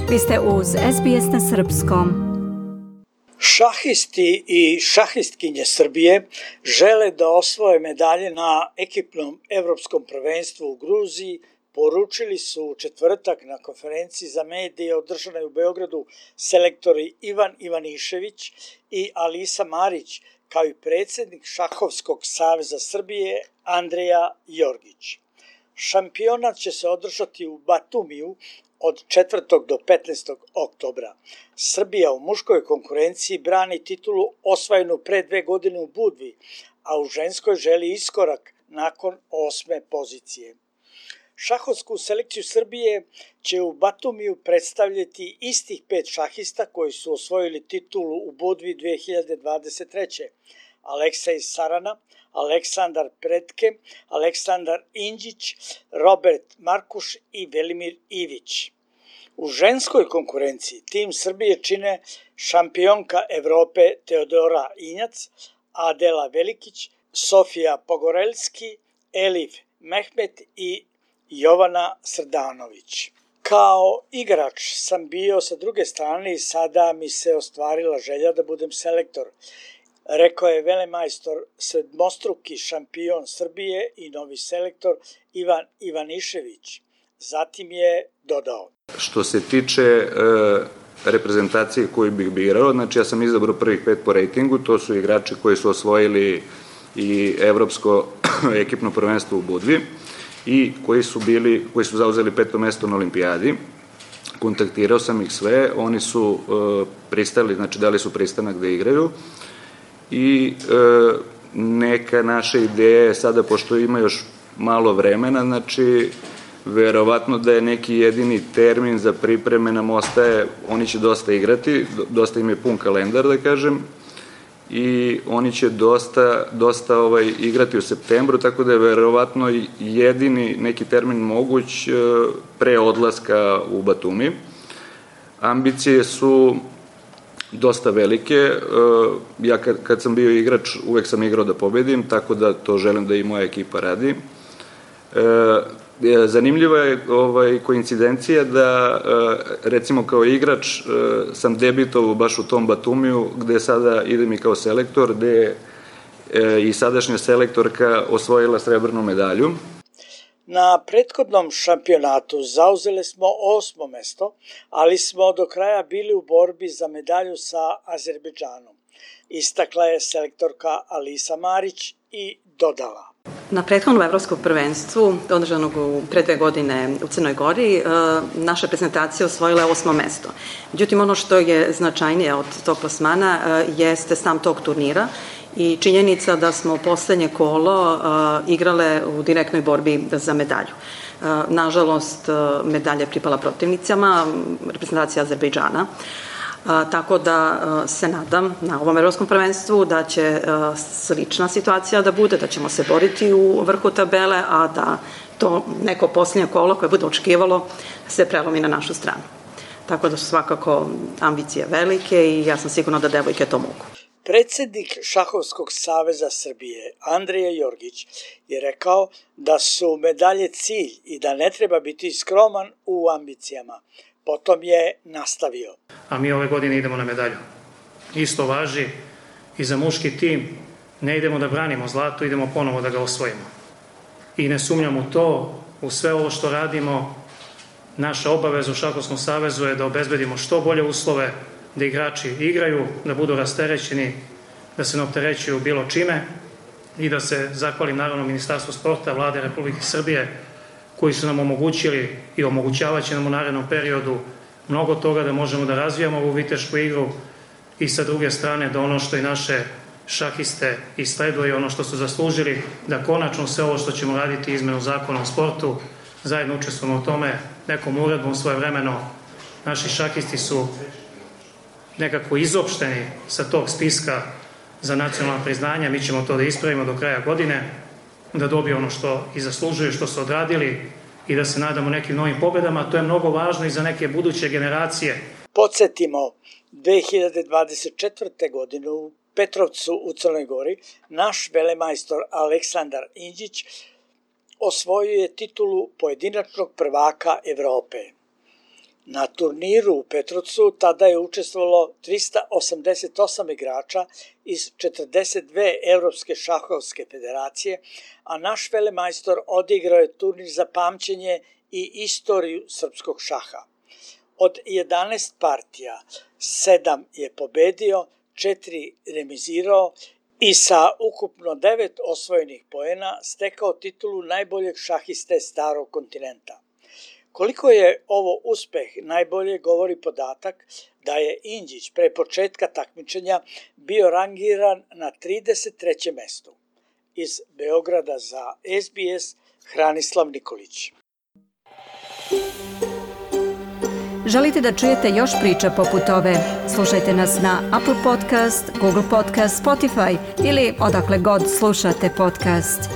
Vi ste uz SBS na srpskom. Šahisti i šahistkinje Srbije žele da osvoje medalje na ekipnom evropskom prvenstvu u Gruziji, poručili su u četvrtak na konferenciji za medije održanoj u Beogradu selektori Ivan Ivanišević i Alisa Marić, kao i predsjednik Šahovskog saveza Srbije Andreja Jorgić. Šampionat će se održati u Batumiju od 4. do 15. oktobra. Srbija u muškoj konkurenciji brani titulu osvojenu pre 2 godine u Budvi, a u ženskoj želi iskorak nakon 8. pozicije. Šahovsku selekciju Srbije će u Batumiju predstavljati istih 5 šahista koji su osvojili titulu u Budvi 2023. Aleksej Sarana, Aleksandar Pretke, Aleksandar Inđić, Robert Markuš i Velimir Ivić. U ženskoj konkurenciji tim Srbije čine šampionka Evrope Teodora Injac, Adela Velikić, Sofija Pogorelski, Elif Mehmet i Jovana Srdanović. Kao igrač sam bio sa druge strane i sada mi se ostvarila želja da budem selektor, rekao je velemajstor, sedmostruki šampion Srbije i novi selektor Ivan Ivanišević. Zatim je dodao: Što se tiče reprezentacije koju bih birao, znači ja sam izabrao prvih 5 po rejtingu, to su igrači koji su osvojili i evropsko ekipno prvenstvo u Budvi i koji su zauzeli 5. mesto na olimpijadi. Kontaktirao sam ih sve, oni su pristali, znači dali su pristanak da igraju i neka naša ideja je sada, pošto ima još malo vremena, znači verovatno da je neki jedini termin za pripreme nam ostaje, oni će dosta igrati, dosta im je pun kalendar da kažem, i oni će dosta igrati u septembru, tako da je verovatno jedini neki termin moguć pre odlaska u Batumi. Ambicije su dosta velike, ja kad sam bio igrač uvek sam igrao da pobedim, tako da to želim da i moja ekipa radi. Zanimljiva je koincidencija da recimo kao igrač sam debitovao baš u tom Batumiju gde sada idem i kao selektor, gde je i sadašnja selektorka osvojila srebrnu medalju. Na prethodnom šampionatu zauzeli smo 8. mesto, ali smo do kraja bili u borbi za medalju sa Azerbejdžanom. Istakla je selektorka Alisa Marić i dodala: Na prethodnom evropskom prvenstvu, održanog pre 2 godine u Crnoj Gori, naša prezentacija osvojila je 8. mesto. Međutim, ono što je značajnije od tog plasmana jeste sam tog turnira i činjenica da smo poslednje kolo igrale u direktnoj borbi za medalju. Nažalost, medalja je pripala protivnicama, reprezentacija Azerbejdžana. Tako da se nadam na ovom evropskom prvenstvu da će slična situacija da bude, da ćemo se boriti u vrhu tabele, a da to neko posljednje kolo koje bude očekivalo se prelomi na našu stranu. Tako da su svakako ambicije velike i ja sam sigurna da devojke to mogu. Predsjednik Šahovskog saveza Srbije Andreja Jorgić je rekao da su medalje cilj i da ne treba biti skroman u ambicijama. Potom je nastavio: A mi ove godine idemo na medalju. Isto važi i za muški tim. Ne idemo da branimo zlato, idemo ponovo da ga osvojimo. I ne sumnjam u to, u sve ovo što radimo, naša obaveza u Šahovskom savezu je da obezbedimo što bolje uslove, da igrači igraju, da budu rasterećeni, da se ne opterećuju bilo čime i da se zahvalim naravno Ministarstvu sporta, Vlade Republike Srbije, koji su nam omogućili i omogućavat će nam u narednom periodu mnogo toga da možemo da razvijamo ovu vitešku igru i sa druge strane da ono što i naše šahiste isleduje, ono što su zaslužili, da konačno sve ovo što ćemo raditi izmenu zakona o sportu, zajedno učestvujemo u tome nekom uredbom svojevremeno. Naši šahisti su nekako izopšteni sa tog spiska za nacionalna priznanja, mi ćemo to da ispravimo do kraja godine, da dobiju ono što i zaslužuju, što su odradili i da se nadamo nekim novim pobedama. To je mnogo važno i za neke buduće generacije. Podsjetimo, 2024. godine u Petrovcu u Crnoj Gori naš velemajstor Aleksandar Inđić osvojio je titulu pojedinačnog prvaka Evrope. Na turniru u Petrovcu tada je učestvovalo 388 igrača iz 42 Evropske šahovske federacije, a naš velemajstor odigrao je turnir za pamćenje i istoriju srpskog šaha. Od 11 partija 7 je pobedio, 4 remizirao i sa ukupno 9 osvojenih poena stekao titulu najboljeg šahiste starog kontinenta. Koliko je ovo uspeh najbolje govori podatak da je Indžić pre početka takmičenja bio rangiran na 33. mestu. Iz Beograda za SBS Hranislav Nikolić. Želite da čujete još priča poput ove? Slušajte nas na Apple Podcast, Google Podcast, Spotify ili odakle god slušate podcast.